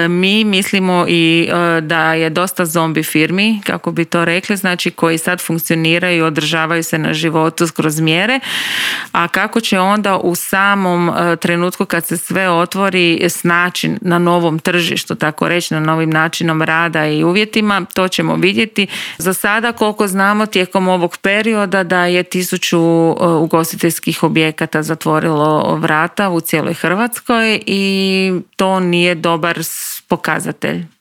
Mi mislimo i da je dosta zombi firmi, kako bi to rekli, znači koji sad funkcioniraju i održavaju se na životu kroz mjere, a kako će onda u samom trenutku kad se sve otvori snaći na novom tržištu, tako reći, na novim načinom rada i uvjetima, to ćemo vidjeti. Za sada, koliko znamo, tijekom ovog perioda da je 1000 ugostiteljskih objekata zatvorilo vrata u cijeloj Hrvatskoj i to nije dobar pokazatelj.